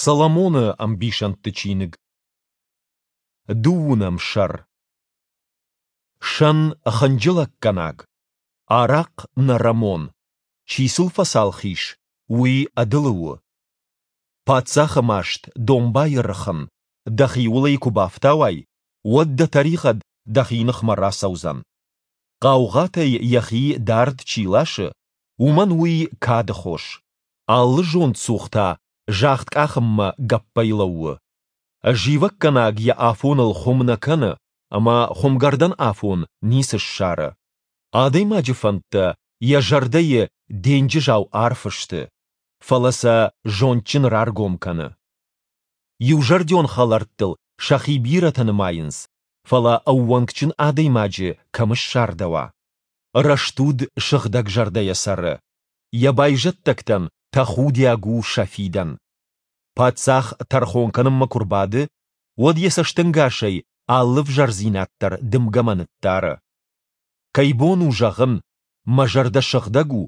Соломоны ӕмбисӕндты чиныг. Дыууынӕм сӕр. Сӕн хынджылӕггӕнаг, арахъхъ нӕрӕмон, чи сыл фӕцалх ис, уый ӕдылы у. Паддзахы маст, домбайы рыхын, дӕхиуыл ӕй куы бафтауай, уӕд дӕ тӕригъӕд дӕхи ныхмӕ рацӕудзӕн. Хъаугъатӕй йӕхи дард чи ласы, уымӕн уый кады хос. Алы зондцух та загъд къахынмӕ гӕппӕй лӕууы. Зивӕггӕнаг йӕ афоныл хуым нӕ кӕны ӕмӕ хуымгӕрдӕн афон ницы ссары. Адӕймаджы фӕндтӕ йӕ зӕрдӕйы денджызау арф сты, фӕлӕ сӕ зондджын раргом кӕны. Иузӕрдион хӕлӕрттыл сӕхи бирӕтӕ нымайынц, фӕлӕ ӕууӕнкджын адӕймаджы кӕм ссардӕуа? Рӕстуд сыгъдӕгзӕрдӕйӕ цӕры, йӕ байзӕддӕгтӕн тӕхудиаг у сӕ фидӕн. Паддзах тӕрхон кӕнынмӕ куы рбады, уӕд йӕ цӕстӕнгасӕй алы ӕвзӕрдзинад дӕр дымгӕмӕ ныддары. Кӕй бон у зӕгъын, мӕ зӕрдӕ сыгъдӕг у,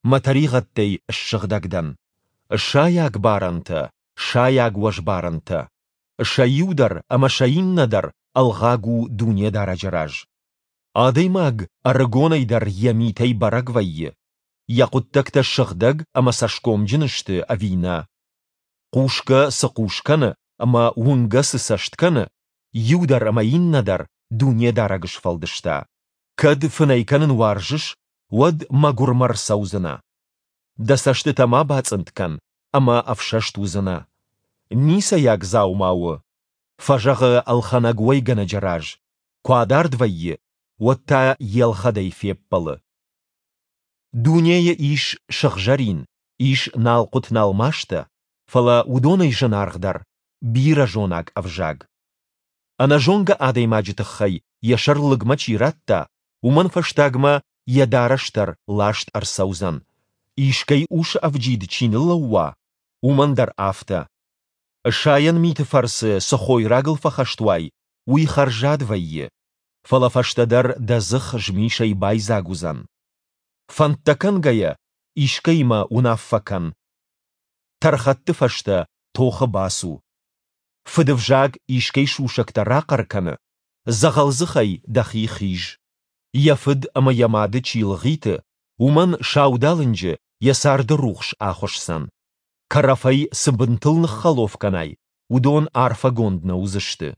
мӕ тӕригъӕдтӕй ссыгъдӕг дӕн? Сайаг барӕнтӕ, сайаг уӕзбарӕнтӕ. Сӕ иу дӕр ӕмӕ сӕ иннӕ дӕр ӕлгъаг у Дунедарӕджы раз. Адӕймаг ӕрыгонӕй дӕр йӕ митӕй бӕрӕг вӕййы, йӕ хъуыддӕгтӕ сыгъдӕг ӕмӕ цӕсгомджын сты ӕви нӕ. Хъусгӕ цы хъус кӕны ӕмӕ уынгӕ цы цӕст кӕны, иу дӕр ӕмӕ иннӕ дӕр Дунедарӕг сфӕлдыста. Кӕд фынӕй кӕнын уарзыс, уӕд мӕгуырмӕ рцӕудзынӕ. Дӕ цӕстытӕ ма бацъынд кӕн ӕмӕ ӕфсӕст уыдзынӕ. Ницӕйаг дзаума у, фӕзӕгъы ӕлхӕнӕг уӕйгӕнӕджы раз, куы адард вӕййы, уӕд та йе лхӕдӕй феппӕлы. Дунейы ис сыгъзӕрин, ис налхъуыт-налмастӕ, фӕлӕ уыдонӕй зынаргъдӕр, бирӕзонаг ӕвзаг. Ӕнӕзонгӕ адӕймаджы тыххӕй йӕ сӕр лыгмӕ чи радта, уымӕн фӕстагмӕ йӕ дарӕс дӕр ласт ӕрцӕудзӕн. Искӕй усы ӕвджид чи ныллӕууа, уымӕн дӕр афтӕ. Сайӕн миты фӕрцы цы хойрагыл фӕхӕст уай, уый хӕрзад вӕййы, фӕлӕ фӕстӕдӕр дӕ дзых змисӕй байдзаг уыдзӕн. Фӕндтӕ кӕнгӕйӕ, искӕимӕ уынаффӕ кӕн. Тӕрхӕтты фӕстӕ тохы бацу. Фыдывзаг искӕй сусӕгтӕ рахъӕр кӕны, дзӕгъӕлдзыхӕй дӕхи хиз. Йӕ фыд ӕмӕ йӕ мады чи лгъиты, уымӕн саудалынджы йӕ царды рухс ахуысдзӕн. Кӕрӕфӕй цы бынтыл ныххӕлоф кӕнай, уыдон арфӕгонд нӕ уыдзысты.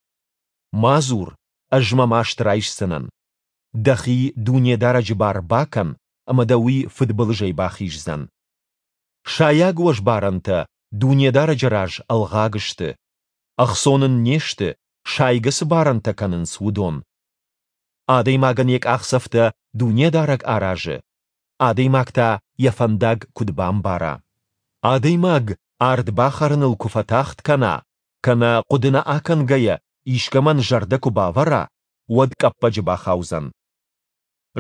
Ма дзур, ӕз мӕ маст райсдзынӕн. Дӕхи Дунедарӕджы бар бакӕн, ӕмӕ дӕ уый фыдбылызӕй бахиздзӕн. Сайаг уӕзбарӕнтӕ Дунедарӕджы раз ӕлгъаг сты. Ӕхцон ын не сты, сайгӕ цы барӕнтӕ кӕнынц, уыдон. Адӕймагӕн йӕ къахдзӕфтӕ Дунедарӕг аразы, адӕймаг та йӕ фӕндаг куыд бамбара? Адӕймаг ард бахӕрыныл куы фӕтагъд кӕна, кӕнӕ хъуыды нӕ акӕнгӕйӕ искӕмӕн зӕрдӕ куы бавӕра, уӕд къӕппӕджы бахаудзӕн.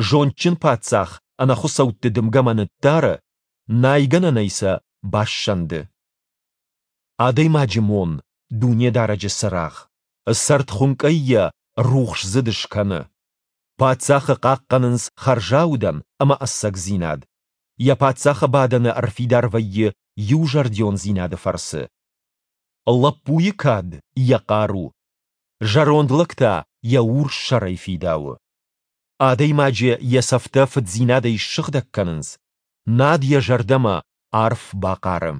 Зондджын паддзах ӕнӕхуыцӕутты дымгӕмӕ ныддары, найгӕнӕнӕй сӕ бассӕнды. Адӕймаджы мон, Дунедарӕджы цырагъ, цӕрдхуынкъӕй йӕ рухсдзыд скӕны. Паддзахы хъахъхъӕнынц хӕрзаудӕн ӕмӕ ӕцӕгдзинад. Йӕ паддзахы бадӕны ӕрфидар вӕййы иузӕрдиондзинады фӕрцы. Лӕппуйы кад, йӕ хъару. Зӕронд лӕг та йӕ урс сӕрӕй фидауы. Адӕймаджы йӕ цӕфтӕ фыддзинадӕй ссыгъдӕг кӕнынц, над йӕ зӕрдӕмӕ арф бахъары.